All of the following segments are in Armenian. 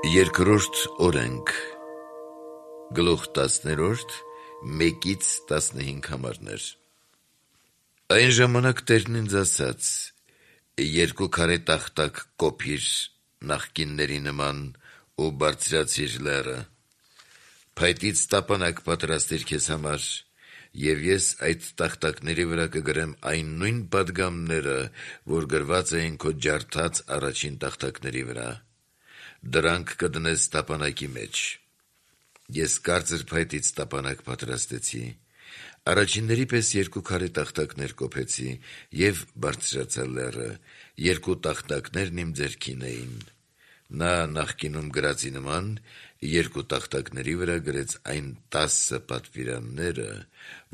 Երկրորդ օրենք Գլուխ 10-րդ 1-15 համարներ Այն ժամանակ Տերն ինձ ասաց. երկու քարե տախտակ կոփիր նախկինների նման ու բարձրացիր լեռը, փայտից տապանակ պատրաստիր քեզ համար, եւ ես այդ տախտակների վրա կգրեմ այն նույն պատգամները, որ գրված էին քո ջարդած առաջին տախտակների վրա. Դրանք կդնես տապանակի մեջ։ Ես կարծր փայտից տապանակ պատրաստեցի, առաջինների պես երկու քարե տախտակներ կոփեցի եւ բարձրացա լեռը, երկու տախտակներն իմ ձեռքին էին։ Նա նախկինում գրածի նման երկու տախտակների վրա գրեց այն 10 պատվիրանները,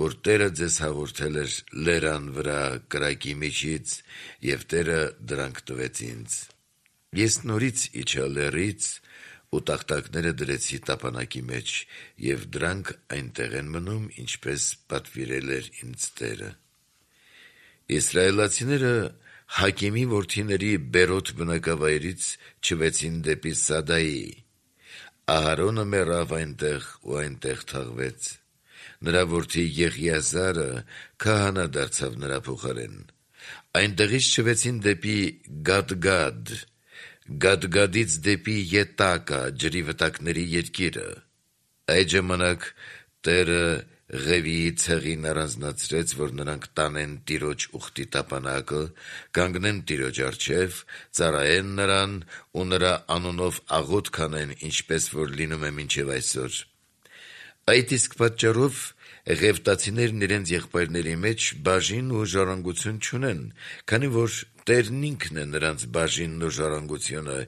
որ Տերը ձեզ հաղորդել էր լեռան վրա կրակի միջից, եւ Տերը դրանք տվեց ինձ։ Ես նորից իջա լեռից ու տախտակները դրեցի տապանակի մեջ, եւ դրանք այնտեղ են մնում, ինչպես պատվիրել էր ինձ Տերը։ Իսրայելացիները Հակիմի որդիների Բերոտ բնակավայրից չվեցին դեպի Սադայի։ Ահարոնը մեռավ այնտեղ ու այնտեղ թաղվեց։ Նրա որդի Եղիազարը քահանա դարձավ նրա փոխարեն։ Այնտեղից չվեցին դեպի Գադգադ, Գադգադից դեպի Ետակա, ջրի վտակների երկիրը։ Այդ ժամանակ Տերը Ղևիի ցեղին առանձնացրեց, որ նրանք տանեն Տիրոջ ուխտի տապանակը, կանգնեն Տիրոջ առջև, ծառայեն նրան ու նրա անունով աղոթք անեն, ինչպես որ լինում է մինչև այսօր։ Այդ իսկ պատճառով Ղևտացիներն իրենց եղբայրների մեջ բաժին ու ժառանգություն չունեն, քանի որ Տերն ինքն է նրանց բաժինն ու ժառանգությունը,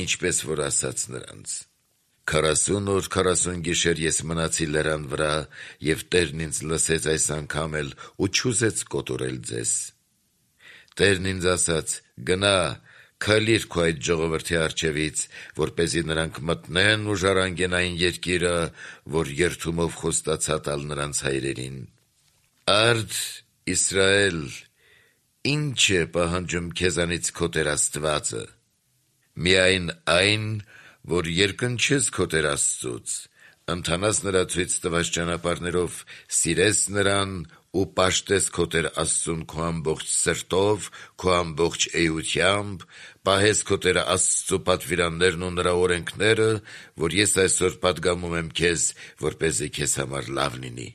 ինչպես որ ասաց նրանց. 40 օր 40 գիշեր ես մնացի լեռան վրա, եւ Տերն ինձ լսեց այս անգամ էլ ու չուզեց կոտորել ձեզ։ Տերն ինձ ասաց. գնա, քայլիր քո այդ ժողովրդի առջևից, որպեսզի նրանք մտնեն ու ժառանգեն այն երկիրը, որ երդումով խոստացա տալ նրանց հայրերին։ Արդ Իսրայել, ինչ է պահանջում քեզանից քո Տեր Աստվածը։ Միայն այն, որ երկնչես քո Տեր Աստծուց, ընթանաս նրա ցույց տված ճանապարհներով, սիրես նրան ու պաշտես քո Տեր Աստծուն քո ամբողջ սրտով, քո ամբողջ էությամբ, պահես քո Տեր Աստծու պատվիրաններն ու նրա օրենքները, որ ես այսօր պատգամում եմ քեզ, որպեսզի քեզ համար լավ լինի։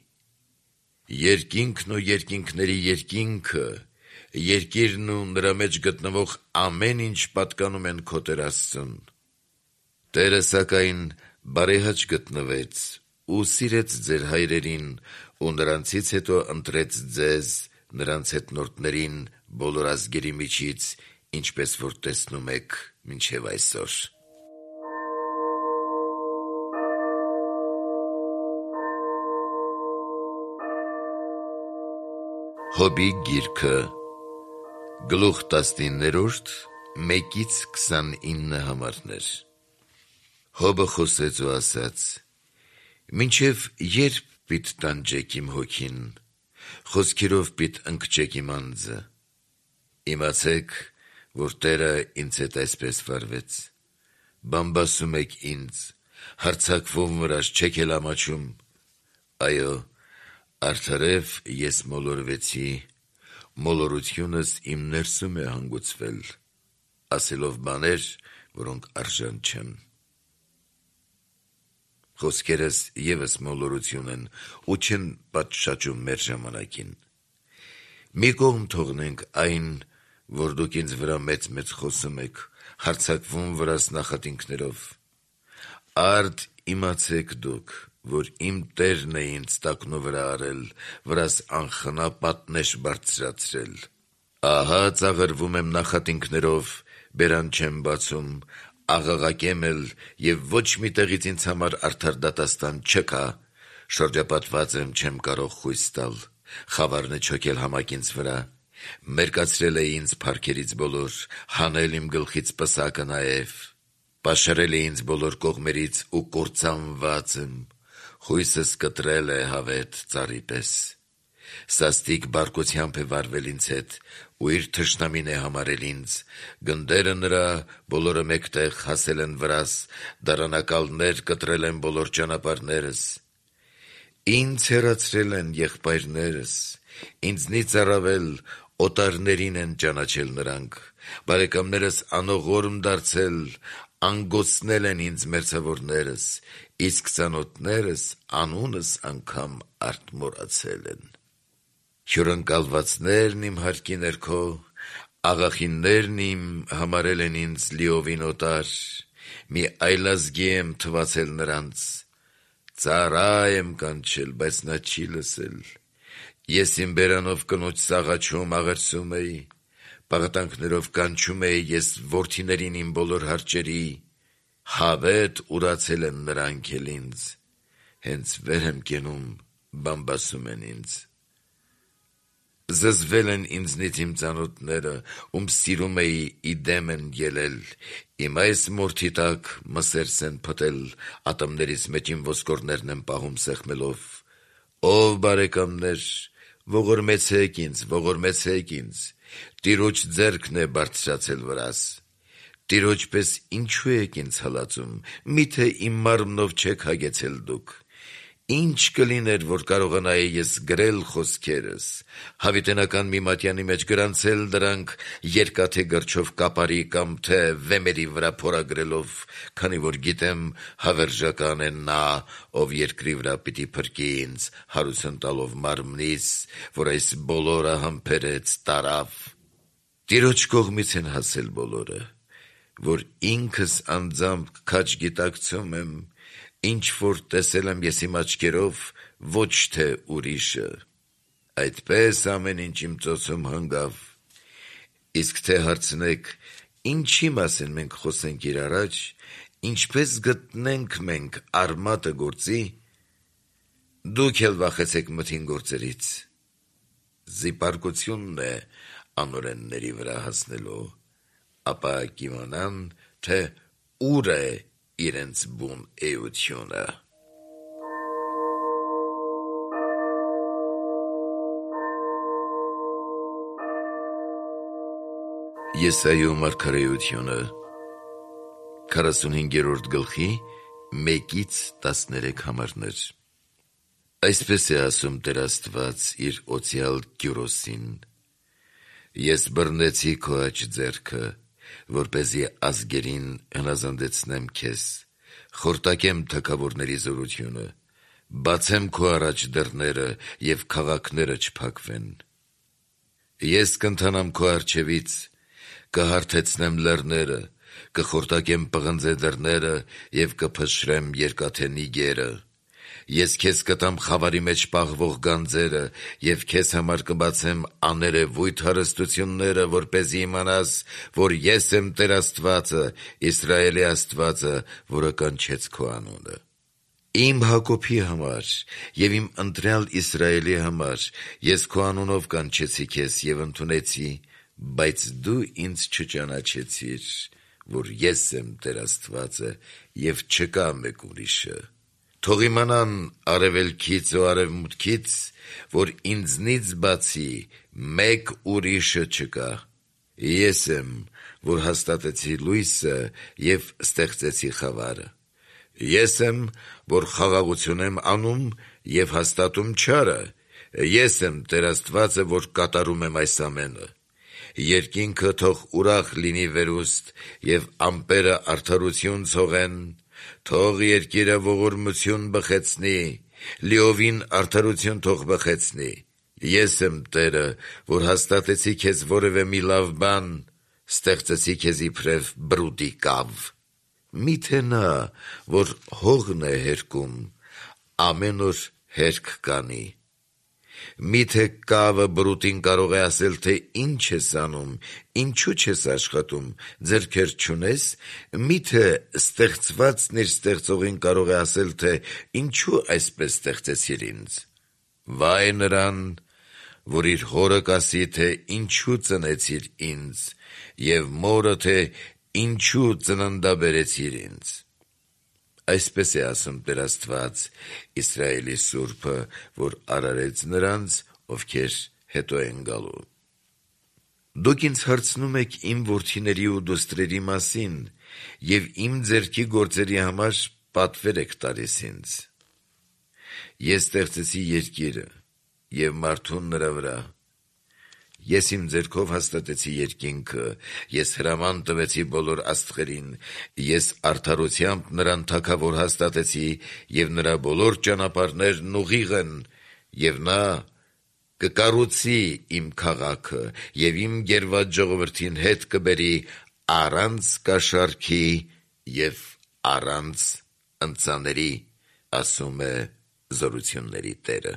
Երկինքն ու երկինքների երկինքը, երկիրն ու նրա մեջ գտնվող ամեն ինչ պատկանում են քո Տեր Աստծուն։ Տերը սակայն բարեհաճ գտնվեց ու սիրեց ձեր հայրերին ու նրանցից հետո ընտրեց ձեզ նրանց հետնորդներին բոլոր ազգերի միջից, ինչպես որ տեսնում եք մինչև այսօր։ Հոբի գիրքը Գլուխ 19-րդ 1-29 համարներ Հոբը խոսեց ու ասաց. մինչև երբ պիտ տանջեք իմ հոգին, խոսքերով պիտ ընկճեք իմ անձը։ Իմացեք, որ Տերը ինձ հետ այսպես վարվեց։ Բամբասում եք ինձ, հարձակվում վրաս չեք էլ ամաչում։ Այո, արդարև ես մոլորվեցի, մոլորությունս իմ ներսում է հանգուցվել, ասելով բաներ, որոնք արժան չեն։ Խոսքերս ևս մոլորություն են ու չեն պատշաճում մեր ժամանակին։ Մի կողմ թողնենք այն, որ դուք ինձ վրա մեծ խոսում եք, հարձակվում վրաս նախատինքներով։ Արդ իմացեք դուք, որ իմ Տերն է ինձ տակնու վրա արել, վրաս անխնա պատնեշ բարձրացրել։ Ահա ծաղրվում եմ նախատինքներով, բերան չեմ բացում, աղաղակեմ էլ եւ ոչ մի տեղից ինձ համար արդար դատաստան չկա, շրջապատված եմ չեմ կարող խույս տալ, խավարն է չոքել համակ ինձ վրա, մերկացրել է ինձ փառքերից բոլոր, հանել իմ գլխից պսակը նաեւ, պաշարել է ինձ բոլոր կողմերից ու կործանված եմ, խույսս կտրել է հավետ ծառի պես, Սաստիկ բարկությամբ է վարվել ինձ հետ, ու իր թշնամին է համարել ինձ, գնդերը նրա բոլորը մեկտեղ հասել են վրաս, դարանակալներ կտրել են բոլոր ճանապարհներս։ Ինձ հեռացրել են եղբայրներս, ինձնից առավել օտարներին են ճանաչել նրանք, բարեկամներս անողորմ դարձել, անգոցնել են ինձ մերձավորներս, իսկ ծանոթներս անունս անգամ արթմորացել են։ Հյուրընկալվածներն իմ հարկի ներքո, աղախիններն իմ համարել են ինձ լիովին օտար, մի այլազգի եմ թվացել նրանց, ծառա եմ կանչել, բայց նա չի լսել, ես իմ բերանով կնոջ սաղաչում աղերսում էի, պաղատանքներով կանչում էի ես որդիներին իմ բոլոր հարճերի, հավետ ուրացել են նրանք էլ ինձ, հենց վեր եմ կենում, բամբասում են ինձ։ Զզվել են ինձնից իմ ծանոթները, ում սիրում էի իդեմ են ելել, իմ այս մորթի տակ մսերս են փտել, ատամներից մեջ իմ ոսկորներն են պահում սեղմելով, ով բարեկամներ, ողորմեցեք ինձ, Տիրոջ ձեռքն է բարձրացել վրաս, Տիրոջ պես ինչու եք ինձ հալածում, միթե իմ մարմնով չեք հագեցել դուք, ինչ կլիներ, որ կարողանայի ես գրել խոսքերս, հավիտենական մի մատյանի մեջ գրանցել դրանք երկաթե գրչով կապարի կամ թե վեմերի վրա փորագրելով, քանի որ գիտեմ հավերժական է նա, ով երկրի վրա պիտի փրկի ինձ, հարություն տալով մարմնիս, որ այս բոլորը համբերեց տարավ։ Տիրոջ կողմից են հասել բոլորը, որ ինքս անձամբ քաջ գիտակցում եմ, ինչ որ տեսել եմ ես իմ աչքերով, ոչ թե ուրիշը, այդպես ամեն ինչ իմ ծոցում հանգավ, իսկ թե հարցնեք, ինչի մասին մենք խոսենք իր առաջ, ինչպես գտնենք մենք արմատը գործի, դուք էլ վախեցեք մթին գործերից, զիպարկությունն է անօրենների վրա հասնելու, ապա կիմանան, թե ուր է իրենց բուն էությունը։ Եսայու մարգարեությունը 45-րդ գլխի 1-13 համարներ։ Այսպես է ասում Տեր Աստված իր օծյալ Կյուրոսին. Ես բռնեցի քո աջ ձեռքը, որպեսզի ազգերին հնազանդեցնեմ քեզ, խորտակեմ թագավորների զորությունը, բացեմ քո առաջ դռները և քաղաքները չփակվեն։ Ես կընթանամ քո առջևից, կհարթեցնեմ լեռները, կխորտակեմ պղնձե դռները և կփշրեմ երկաթե նիգերը։ Ես քեզ կտամ խավարի մեջ պահվող գանձերը և քեզ համար կբացեմ աներևույթ հարստությունները, որպեսզի իմանաս, որ ես եմ Տեր Աստվածը, Իսրայելի Աստվածը, որը կանչեց քո անունը։ Իմ Հակոբի համար և իմ ընտրյալ Իսրայելի համար ես քո անունով կանչեցի քեզ և ընդունեցի, բայց դու ինձ չճանաչեցիր, որ ես եմ Տեր Աստվածը և չկա մեկ ուրիշը։ Թող իմանան արևելքից ու արևմուտքից, որ ինձնից բացի մեկ ուրիշը չկա։ Ես եմ, որ հաստատեցի լույսը և ստեղծեցի խավարը։ Ես եմ, որ խաղաղություն եմ անում և հաստատում չարը։ Ես եմ Տեր Աստվածը, որ կատարում եմ այս ամենը։ Երկինքը թող ուրախ լինի վերուստ և ամպերը արդարություն ցողեն, թող երկիրը ողորմություն բխեցնի, լիովին արդարություն թող բխեցնի։ Ես եմ Տերը, որ հաստատեցի քեզ որևէ մի լավ բան, ստեղծեցի քեզ իբրև բրուտի կավ։ Միթե նա, որ հողն է հերկում, ամեն օր հերկ կանի։ Միթե կավը բրուտին կարող է ասել, թե ինչ ես անում, ինչու չես աշխատում, ձեռքեր չունես, միթե ստեղծվածն իր ստեղծողին կարող է ասել, թե ինչու այսպես ստեղծեցիր ինձ։ Վայ նրան, որ իր հորը կասի, թե ինչու ծնեցիր ինձ, և մորը, թե ինչու ծննդաբերեցիր ինձ։ Այսպես է ասում Տեր Աստված, Իսրայելի Սուրբը, որ արարեց նրանց ովքեր հետո են գալու։ Դուք ինձ հարցնում եք իմ որդիների ու դուստրերի մասին և իմ ձեռքի գործերի համար պատվեր եք տալիս ինձ։ Ես ստեղծեցի երկիրը և մարդուն նրա վրա։ Ես իմ ձեռքով հաստատեցի երկինքը, ես հրաման տվեցի բոլոր աստղերին, ես արդարությամբ նրան թագավոր հաստատեցի և նրա բոլոր ճանապարհներն ուղիղ են, և նա կկառուցի իմ քաղաքը և իմ գերված ժողովրդին հետ կբերի առանց կաշառքի և առանց ընծաների, ասում է Զորությունների Տերը։